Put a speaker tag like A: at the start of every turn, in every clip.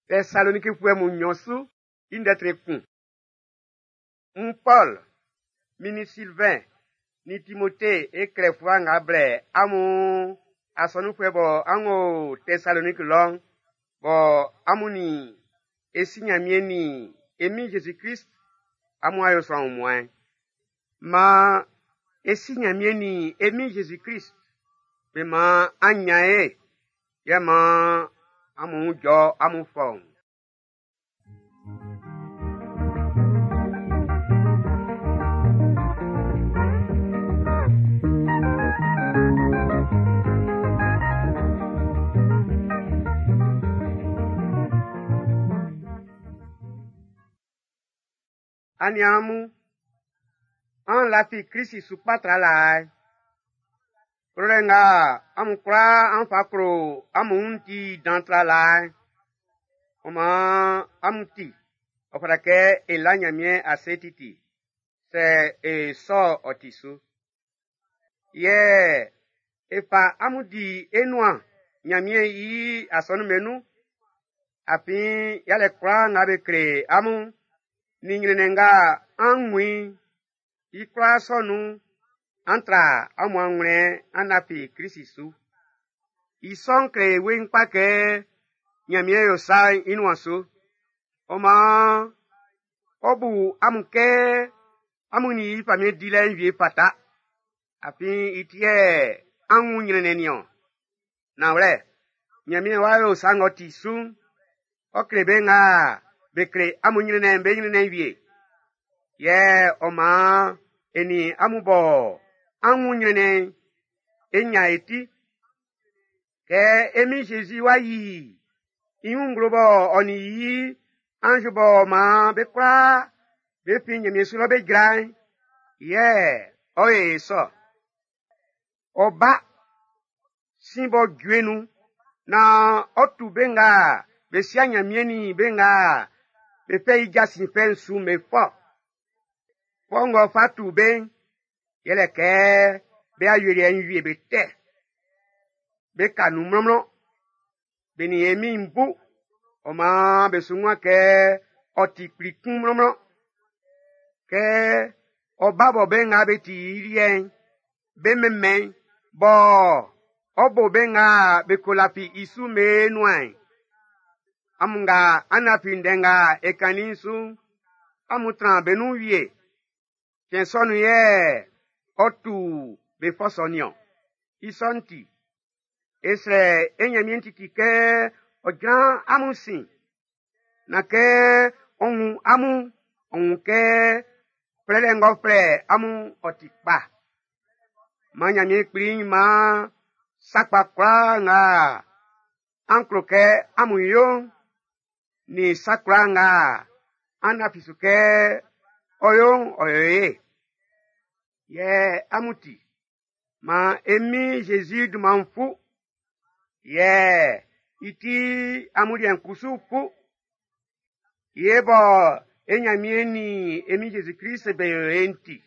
A: Tɛsalonikifuɛ mun nɲɔn su i ndɛ tre kun. N Pɔl, min nin Silvɛn nin Timote e klɛ fluwa nga blɛ amun asɔnunfuɛ bɔ an o Tɛsaloniki lɔ'n, bɔ amun nin e Si Nyanmiɛn nin e Min Jésus-Krist amun a yo sran wunmuan'n. Man e Si Nyanmiɛn nin e Min Jésus-Krist be man an nyan ye, yɛ man amun wun jɔ amun fɔuun. Aniaan mun, an lafi Krist su kpa tra laa'n. Klolɛ nga amun kwlaa an fa klo amun wun'n ti dan tra laa'n. Ɔ maan amun ti, ɔ fata kɛ e la Nyanmiɛn ase titi, sɛ e sɔ ɔ ti su. Yɛ e fa amun di e nuan Nyanmiɛn i asɔnun'm be nun, afin yalɛ kwlaa nga be kle amun'n, nin nyrɛnnɛn nga an wun i'n, i kwlaa sɔ nun'n, an tra amun anwlɛn an lafi Krist su. I sɔ'n kle weiin kpa kɛ Nyanmiɛn yo sa'n i nuan su. Ɔ maan, ɔ bu amun kɛ amun nin i famiɛn dilɛ'n wie fata, afin i ti yɛ an wun nyrɛnnɛn nin-ɔn. Nanwlɛ, Nyanmiɛn w'a yo sa ng'ɔ ti su'n, ɔ kle be nga be kle amun nyrɛnnɛn'n be nyrɛnnɛn wie. Yɛ ɔ maan e nin amun bɔ an wun nyrɛnnɛn'n, e nyan e ti. Kɛ e Min Jésus wá yi i wun nglo bɔ ɔ nin i anz b'ɔ maan be kwlaa be fin Nyanmiɛn su lɔ be jra'n, yɛ ɔ yo e sɔ. Ɔ ba sin b'ɔ jue nun naan ɔ tu be nga be sia Nyanmiɛn nin be nga be fɛ i jasin fɛ'n su'n be fɔ. Fɔ ng'ɔ fa tu be'n, yɛlɛ kɛ be ayeliɛ'n wie be tɛ. Be ka nun mlɔnmlɔn. Be nin e Min'n bu, ɔ maan be su wun kɛ ɔ ti kpli kun mlɔnmlɔn. Kɛ ɔ ba bɔ be nga be ti i liɛ'n, be mɛnmɛn bɔ ɔ bo be nga be ko lafi i su be nuan'n. Amun nga an lafi ndɛ nga e kannin'n su'n, amun tran be nun wie. Cɛn sɔ nun yɛ ɔ tu be fɔ sɔ nin-ɔn. I sɔ'n ti, e srɛ e Nyanmiɛn titi kɛ ɔ jran amun sin, na kɛ ɔ wun amun, ɔ wun kɛ flɛlɛ ng'ɔ flɛ amun ɔ ti kpa. Man Nyanmiɛn kpli'n man sa kpa kwlaa nga an klo kɛ amun yo'n, nin sa kwlaa nga an lafi su kɛ ɔ yo'n ɔ yo ye. Yɛ amun ti, man e Min Jésus dunman'n fu, yɛ i ti amun liɛ'n kusu fu. Ye bɔ e Nyanmiɛn nin e Min Jésus Krist be yo e'n ti.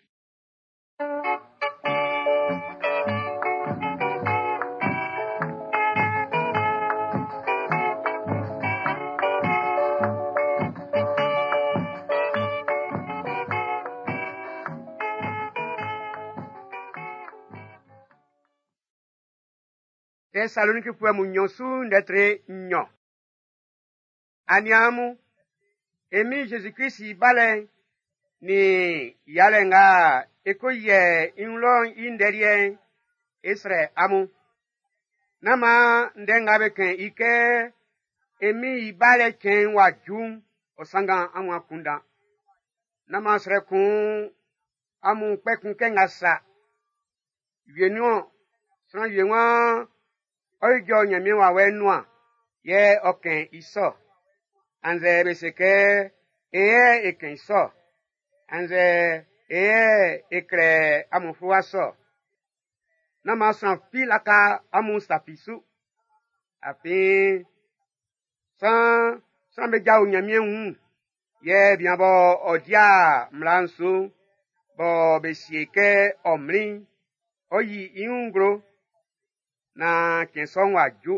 A: Tɛsalonikifuɛ mun nɲɔn su ndɛ tre nɲɔn. Aniaan mun, e Min Jésus Krist i balɛ'n nin yalɛ nga e ko yɛ i wun lɔ'n i ndɛ liɛ'n, e srɛ amun. Nán maan ndɛ nga be kɛn i kɛ e Min i balɛ cɛn'n w'a ju'n, ɔ sanngan amun akunndan. Nán maan srɛ kun amun kpɛkun kɛ nga sa. Wienun-ɔn, sran wie waan ɔ ijɔ Nyanmiɛn wawɛ'n nuan, yɛ ɔ kɛn i sɔ. Annzɛ be se kɛ e yɛ e kɛn i sɔ. Annzɛ e yɛ e klɛ amun fluwa sɔ. Nán maan sran fi laka amun sa fi su. Afin sran sran be jao Nyanmiɛn wun, yɛ bian bɔ ɔ dia mmla'n su, bɔ be sie kɛ ɔ mlin'n, ɔ yi i wun nglo, na cɛn sɔ'n w'a ju.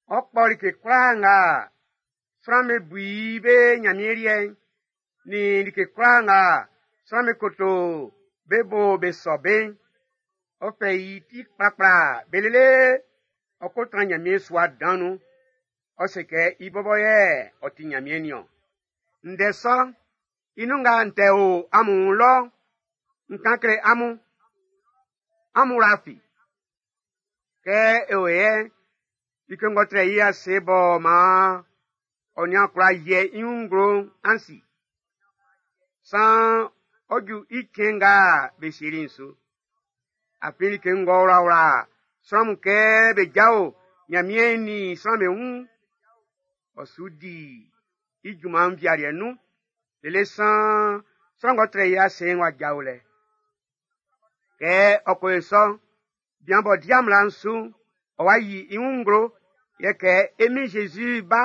A: Ɔ kpɔ like kwlaa nga Sran'm be bu i be Ɲanmiɛn liɛ'n, nin like kwlaa nga sran'm be koto be bo be sɔ be'n, ɔ fɛ i ti kplakpla be lele ɔ ko tran Ɲanmiɛn sua dan nun. Ɔ se kɛ i bɔbɔ yɛ ɔ ti Ɲanmiɛn niɔn. Ndɛ sɔ'n, i nun nga n tɛ o amun wun lɔ'n, n kan kle amun. Amun wla fi. Kɛ e o yɛ'n, like ng'ɔ trɛ i ase b'ɔ maan ɔ nian kwla yiɛ i wun nglo'n, an si. Saan ɔ ju i cɛn nga be sieli'n su. Afin like ng'ɔ wlawla sran mun kɛ be jao Ɲanmiɛn nin sran be wun'n, ɔ su di i junman'n nvialiɛ nun, lele saan sran ng'ɔ trɛ i ase'n w'a jao lɛ. Kɛ ɔ ko yo sɔ'n, bian b'ɔ di mmla'n su'n, ɔ wa yi i wun nglo, yɛ kɛ e Min Zezi bá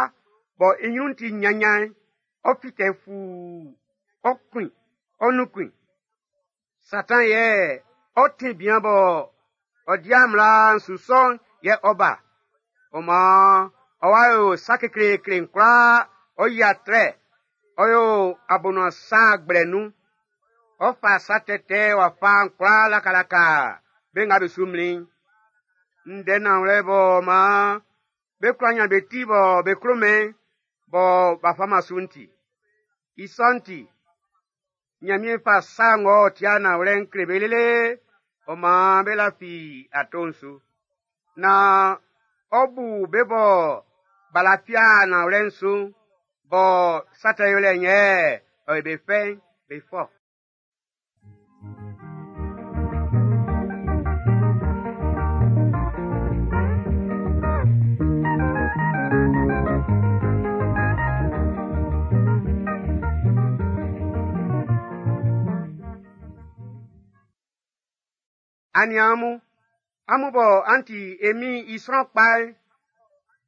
A: bɔ i ɲrun'n ti ɲanɲan'n, ɔ fite fuu, ɔ kun, ɔ nunkun. Satan yɛ ɔ ti bian bɔ ɔ di mmla'n su sɔ'n yɛ ɔ ba. Ɔ maan ɔ wa yo sa kekleekle'n kwlaa, ɔ yi atrɛ, ɔ yo abonuan sa gblɛ nun. Ɔ fa sa tɛtɛ wafa'n kwlaa lakalaka be nga be su mlin'n. Ndɛ nanwlɛ bɔ maan be kwla ɲan be ti bɔ be klo-mɛn bɔ b'a faman su'n ti. I sɔ'n ti, Ɲanmiɛn fa sa ng'ɔ ti nanwlɛ'n kle be lele, ɔ maan be lafi ato'n su. Naan ɔ bu be bɔ b'a lafi nanwlɛ'n su'n, bɔ sa tɛ yolɛ'n yɛ ɔ yo be fɛ'n, be fɔ. Aniaan mun, amun bɔ an ti e Min'n i sran kpa'n,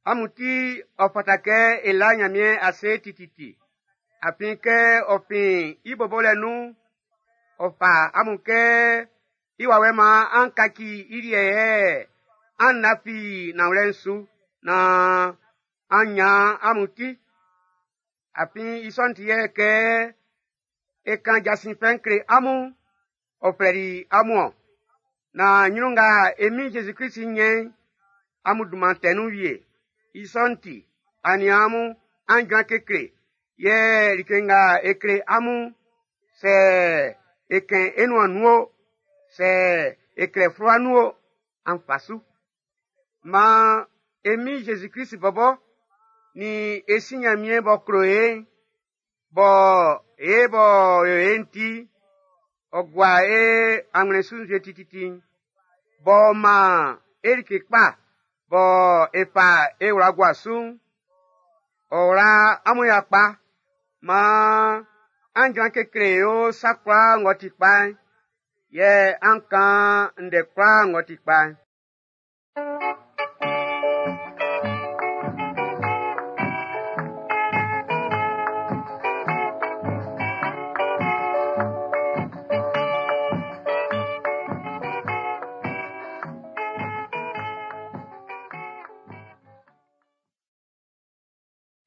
A: amun ti ɔ fata kɛ e la Ɲanmiɛn ase tititi. Afin kɛ ɔ fin i bobolɛ nun'n, ɔ fa amun kɛ i wawɛ maan an kaci i liɛ yɛ an lafi nanwlɛ'n su naan an ɲan amun ti. Afin i sɔ'n ti yɛ kɛ e kan jasin fɛ'n kle amun'n, ɔ flɛli amun-ɔn. Naan ɲrun nga e Min Zezi Klisi ɲɛ́n amun dunman tɛ nun wie. I sɔ'n ti, aniaan mun, an jran kekle, yɛ like nga e kle amun'n, sɛ e kɛn e nuan nun o, sɛ e klɛ fluwa nun o, an fa su. Maan e Min Zezi Klisi bɔbɔ nin e Si Ɲanmiɛn b'ɔ klo e'n, bɔ e b'ɔ yo e'n ti, ɔ gua e anwlɛn su nzue tititi'n, b'ɔ maan e like kpa bɔ e fa e wla gua su'n, ɔ wla amun yakpa maan an jran kekle yo sa kwlaa ng'ɔ ti kpa'n, yɛ an kan ndɛ kwlaa ng'ɔ ti kpa'n.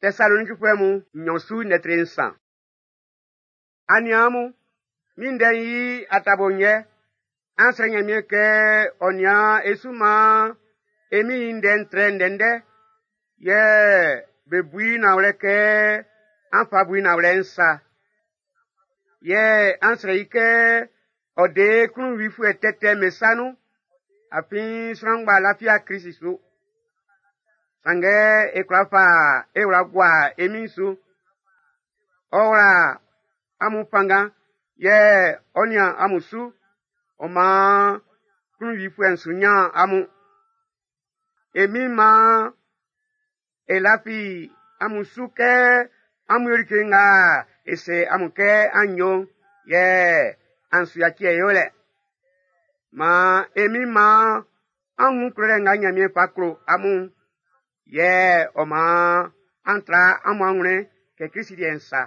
A: Tɛsalonikifuɛ mun nɲɔn su lɛtri nsan. Aniaan mun, min ndɛ'n i atabo'n yɛ, an srɛ Ɲanmiɛn kɛ ɔ nian e su maan e Min'n i ndɛ'n trɛ ndɛndɛ, yɛ be bu i nanwlɛ kɛ an fa bu i nanwlɛ'n sa. Yɛ an srɛ i kɛ ɔ de klunwifuɛ tɛtɛ'm be sa nun, afin sran ngba lafia Klisi su. Sanngɛ e kwla fa e wla gua e Min'n su. Ɔ wla amun fanngan, yɛ ɔ nian amun su, ɔ maan klunwifuɛ'n su ɲan amun. E Min'n maan e lafi amun su kɛ amun yo like nga e se amun kɛ an yo'n, yɛ an su yaci e yolɛ. Maan e Min'n maan an wun klolɛ nga Ɲanmiɛn fa klo amun'n, yɛ ɔ maan an tra amun anwlɛn kɛ Klisi liɛ'n sa.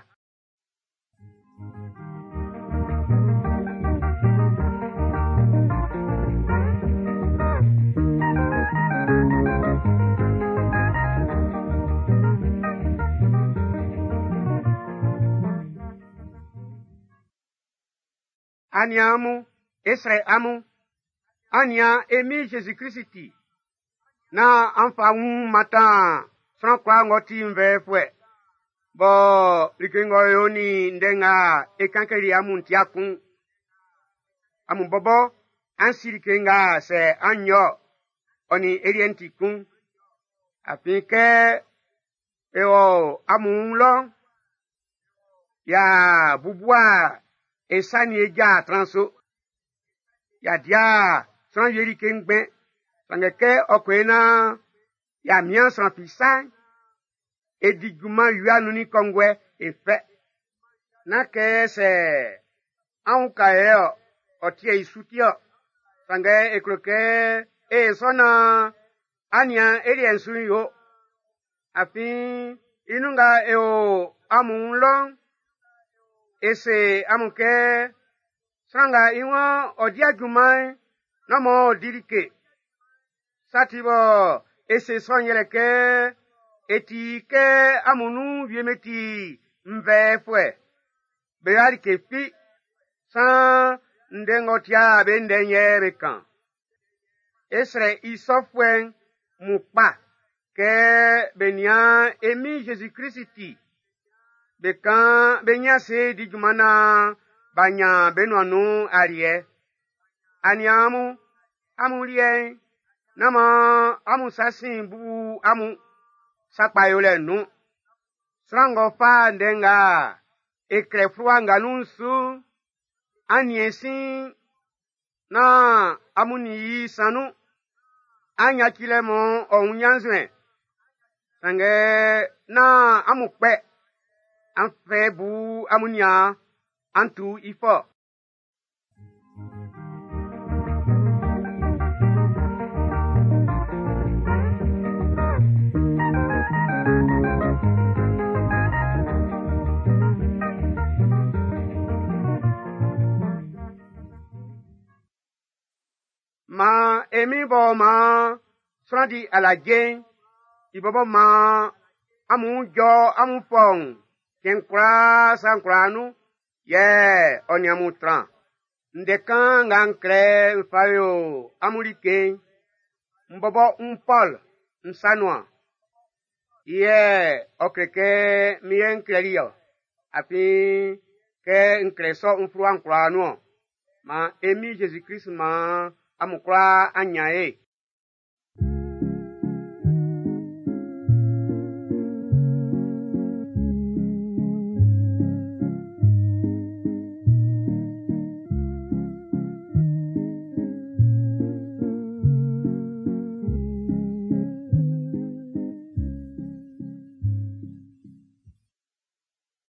A: Aniaan mun, e srɛ amun, an nian e Min Jésus Krist ti, nán an fa wun mantan sran kwlaa ng'ɔ ti nvɛɛfuɛ, bɔ like ng'ɔ yo nin ndɛ nga e kan kleli amun'n ti'a kun. Amun bɔbɔ, an si like nga sɛ an yo ɔ nin e liɛ'n ti kun. Afin kɛ e wɔ amun wun lɔ'n, y'a bubua e sa nin e ja tran su. Y'a dia sran wie like ngbɛn, sanngɛ kɛ ɔ ko e naan y'a mian sran fi sa'n, e di junman wia nun nin kɔnguɛ e fɛ. Nán kɛ sɛ an uka e ɔ, ɔ tie i su ti ɔ. Sanngɛ e klo kɛ e sɔ naan an nian e liɛ'n su yo. Afin i nun nga e o amun wun lɔ'n, e se amun kɛ sran nga i waan ɔ dia junman'n, nán maan ɔ di like. Sa ti bɔ e se sɔ'n yɛlɛ kɛ e ti kɛ amun nun wie'm be ti nvɛɛfuɛ. Be yo'a like fi, saan ndɛ ng'ɔ tia be ndɛ'n yɛ be kan. E srɛ i sɔfuɛ'n mun kpa kɛ be nian e Min Jésus Krist ti. Be kan be nyin ase di junman naan b'a nyan be nuan nun aliɛ. Aniaan mun, amun liɛ'n, nán maan amun sa sin bubu amun sa kpa yolɛ'n nun. Sran ng'ɔ fa ndɛ nga e klɛ fluwa nga nun'n su'n, an niɛn sin naan amun nin i san nun. An yaci lɛ mɔ ɔ wun ɲannzuɛn. Sanngɛ nán amun kpɛ, an fɛ bu amun niaan, an tu i fɔ. Maan e Min b'ɔ maan sran di alaje'n, i bɔbɔ maan amun jɔ amun fɔun cɛn kwlaa sa'n kwlaa nun, yɛ ɔ nin amun tran. Ndɛ kan nga n klɛ n fa yo amun like'n, n bɔbɔ n Pɔl n sa nuan. I yɛ ɔ kle kɛ min yɛ n klɛli ɔ, afin kɛ n klɛ sɔ n fluwa'n kwlaa nun-ɔn. Maan e Min Jésus Krist maan amun kwlaa an nyan ye.